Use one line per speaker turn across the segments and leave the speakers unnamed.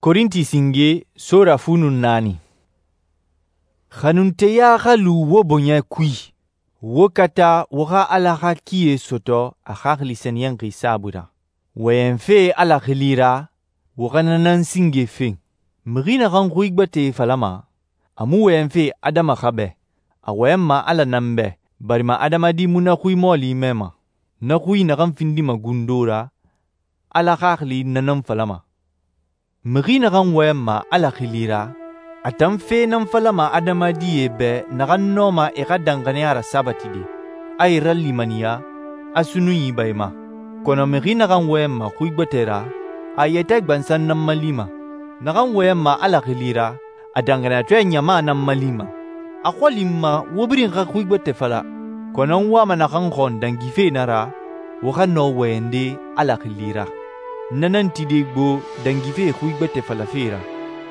Korinti singe sura fu nun 4. Xanunteya xa lu wo bɔɲɛ kui. Wo kata wo xa Ala xa kie sɔtɔ a Xaxili Sɛniyɛnxi saabui ra. Wɔyɛnfe Ala xili ra, wo xa na nan singe fen. Mixi naxan xui gbɛtɛe falama, a mu wɔyɛnfe adama xa bɛ. A wɔyɛnma Ala nan bɛ, barima adamadi mu na xui mɔɔli mɛma. Na xui naxan findima gundo ra, Ala Xaxili na nan falama. Mixi naxan wɔyɛnma Ala xili ra, a tan fe nan falama adamadie bɛ naxan nɔma e xa danxaniya rasabatide, a e ralimaniya, a sunnunyi ba e ma. Kɔnɔ mixi naxan wɔyɛnma xui gbɛtɛ ra, a yɛtɛ gbansan nan malima. Naxan wɔyɛnma Ala xili ra, a danxaniyatɔɛ ɲama nan malima. A xɔli n ma wo birin xa xui gbɛtɛ fala, kɔnɔ n wama naxan xɔn dangife na ra, wo xa nɔ wɔyɛnde Ala xili ra. Na nan tide gbo dangife xui gbɛtɛ falafe ra,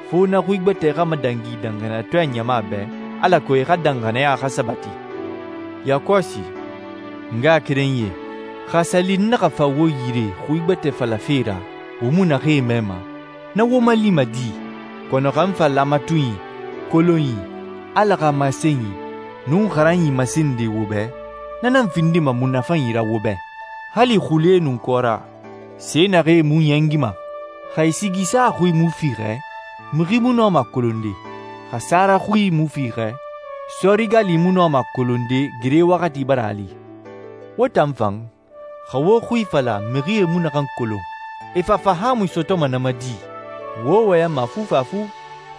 fo na xui gbɛtɛ xa madangi danxaniyatɔɛ ɲama bɛ, alako e xa danxaniya xa sabati. Yakɔsi, n ngaxakerenyie, xa sali n naxa fa wo yire xui gbɛtɛ falafe ra, wo mu naxee mɛma, na wo malima di. Kɔnɔ xa n fa lamatunyi, kolonyi, Ala xa masenyi, nun xaranyi masende wo bɛ, na nan findima munafanyi ra wo bɛ. Hali xule nun kɔra, se naxee mu ɲɛngima. Xa e sigisa xui mu fiixɛ, mixi mu nɔma kolonde. Xa sara xui mu fiixɛ, sɔrigali mu nɔma kolonde gere waxati bara a li. Wo tan fan, xa wo xui fala mixie mu naxan kolon, e fa fahaamui sɔtɔma na ma di. Wo wɔyɛnma fufafu,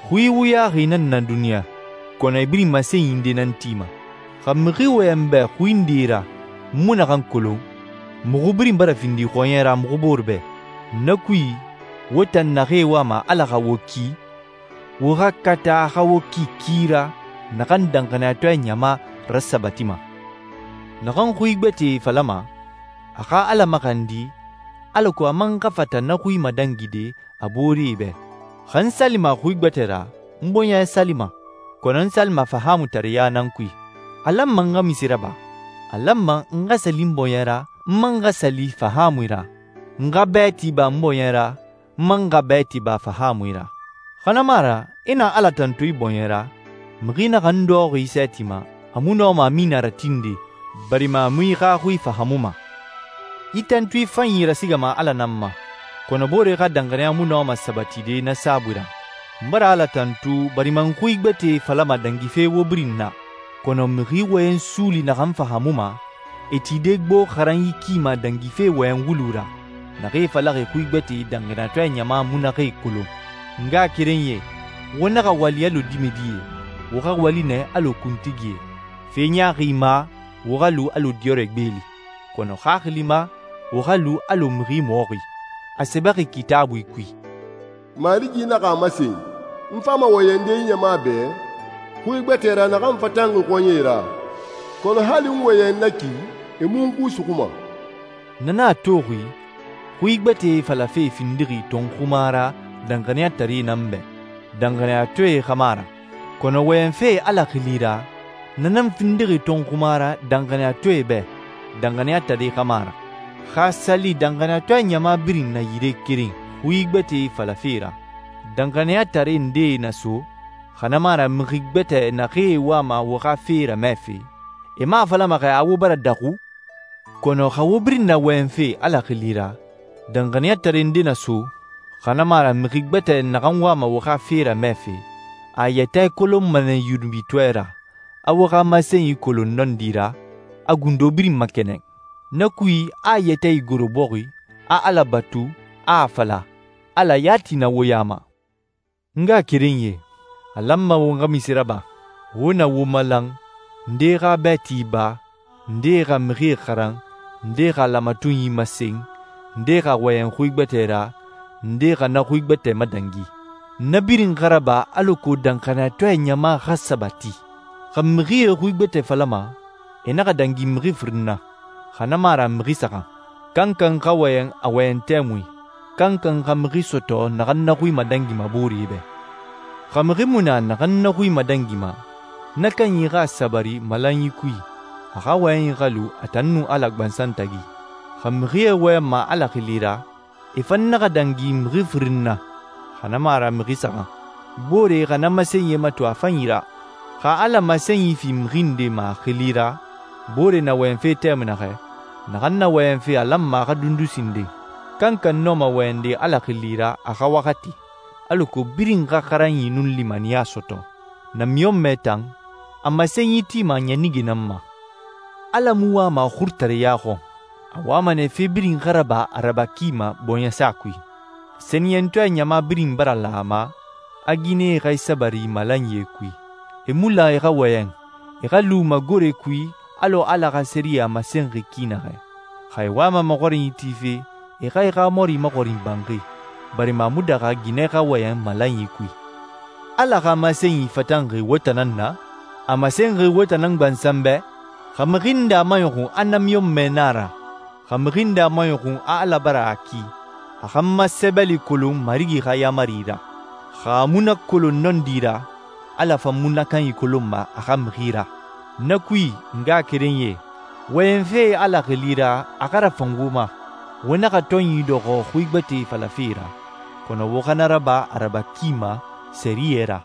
xui wuyaxi nan na duniɲa, kɔnɔ e birin masenyinde nan tima. Xa mixi wɔyɛn bɛ xui nde ra, mu naxan kolon, muxu birin bara findi xɔɲɛ ra muxu bore bɛ. Na kui, wo tan naxee wama Ala xa wo ki, wo xa kata a xa wo ki ki ra naxan danxaniyatɔɛ ɲama rasabatima. Naxan xui gbɛtɛe falama, a xa Ala maxandi, alako a man xa fata na xui madangide a booree bɛ. Xa n salima xui gbɛtɛ ra, n bɔɲɛ salima, kɔnɔ n salima fahaamutareya nan kui. A lanma n xa misi raba, a lanma n xa sali n bɔɲɛ ra, n man xa sali fahaamui ra. N xa bɛɛ tiba n bɔɲɛ ra, n man xa bɛɛ tiba fahaamui ra. Xanama ra, i na Ala tantu i bɔɲɛ ra, mixi naxan dɔxɔxi i sɛɛti ma, a mu nɔma min na ratinde, barima a mu i xa xui fahamuma. I tantu i fanyi rasigama Ala nan ma, kɔnɔ boore xa danxaniya mu nɔma sabatide na saabui ra. N bara Ala tantu barima n xui gbɛtɛe falama dangife wo birin na, kɔnɔ mixi wɔyɛn suuli naxan fahamuma, e tide gbo xaranyi kima dangife wɔyɛn wulu ra, naxee falaxi xui gbɛtɛe danxaniyatɔɛ ɲama mu naxee kolon. N ngaxakerenyie, wo naxa wali alɔ dimɛdie, wo xa wali nɛ alɔ kuntigie. Fe ɲaaxi ma, wo xa lu alɔ diyɔrɛ gbeeli, kɔnɔ xaxili ma, wo xa lu alɔ mixi mɔxi. A sɛbɛxi Kitaabui kui:
Marigi naxa a masen, n fama wɔyɛnde i ɲama bɛ, xui gbɛtɛ ra naxan fatanxi xɔɲɛe ra, kɔnɔ hali n wɔyɛn na ki, e mu n ku suxuma.
Na nan a toxi, xui gbɛtɛe falafe findixi tɔnxuma ra danxaniyatare nan bɛ, danxaniyatɔɛe xama ra. Kɔnɔ wɔyɛnfe Ala xili ra, na nan findixi tɔnxuma ra danxaniyatɔɛe bɛ, danxaniyatare xama ra. Xa sali danxaniyatɔɛ ɲama birin na yire keren xui gbɛtɛe falafe ra, danxaniyatare ndee na so, xanama ra mixi gbɛtɛ naxee wama wo xa fe ramɛfe, e mu a falama xɛ a wo bara daxu? Kɔnɔ xa wo birin na wɔyɛnfe Ala xili ra, danxaniyatare nde na so, xanama ra mixi gbɛtɛ naxan wama wo xa fe ramɛfe, a yɛtɛ kolonma nɛ yunubitɔɛ ra, a wo xa masenyi kolon nɔndi ra, a gundo birin makɛnɛn. Na kui, a yɛtɛ igoro bɔxi, a Ala batu, a fala, Ala yati na wo ya ma. N ngaxakerenyie, a lanma wo xa misi raba, wo na wo malan, nde xa bɛɛ tiba, nde xa mixie xaran, nde xa lamatunyi masen, nde xa wɔyɛn xui gbɛtɛ ra, nde xa na xui gbɛtɛ madangi. Na birin xa raba alako danxaniyatɔɛ ɲama xa sabati. Xa mixie xui gbɛtɛ falama, e naxa dangi mixi firin na, xanama ra mixi saxan. Kankan xa wɔyɛn a wɔyɛn tɛmui, kankan xa mixi sɔtɔ naxan na xui madangima booree bɛ. Xa mixi mu na naxan na xui madangima, na kanyi xa sabari malanyi kui, a xa wɔyɛnyi xa lu a tan nun Ala gbansan tagi. Xa mixie wɔyɛnma Ala xili ra, e fan naxa dangi mixi firin na, xa na mu a ra mixi saxan. Boore xa na masenyie mato a fanyi ra. Xa Ala masenyi fi mixi nde ma a xili ra, boore na wɔyɛnfe tɛmui naxɛ, naxan na wɔyɛnfe a lanma a xa dundu sinden. Kankan nɔma wɔyɛnde Ala xili ra a xa waxati, alako birin xa xaranyi nun limaniya sɔtɔ. Namiɲɔnmɛ tan, a masenyi tima ɲanige nan ma. Ala mu wama xurutareya xɔn. A wama nɛ fe birin xa raba a raba ki ma bɔɲɛsa kui. Sɛniyɛntɔɛ ɲama birin bara la a ma, a ginɛe xa e sabari malanyie kui. E mu la e xa wɔyɛn, e xa lu magore kui alɔ Ala xa sɛriyɛ masenxi ki naxɛ. Xa e wama maxɔrinyi tife, e xa e xa mɔri maxɔrin banxi, barima a mu daxa ginɛ xa wɔyɛn malanyi kui. Ala xa masenyi fatanxi wo tan nan na, a masenxi wo tan nan gbansan bɛ, xa mixi nde a maɲɔxun a namiɲɔnmɛ na a ra, xa mixi nde a maɲɔxun a Ala bara a ki, a xa n ma sɛbɛli kolon Marigi xa yaamari ra. Xa a mu na kolon nɔndi ra, Ala fan mu na kanyi kolonma a xa mixi ra. Na kui, n ngaxakerenyie, wɔyɛnfe Ala xili ra a xa rafan wo ma. Wo naxa tɔnyi dɔxɔ xui gbɛtɛe falafe ra, kɔnɔ wo xa na raba a raba ki ma sɛriyɛ ra.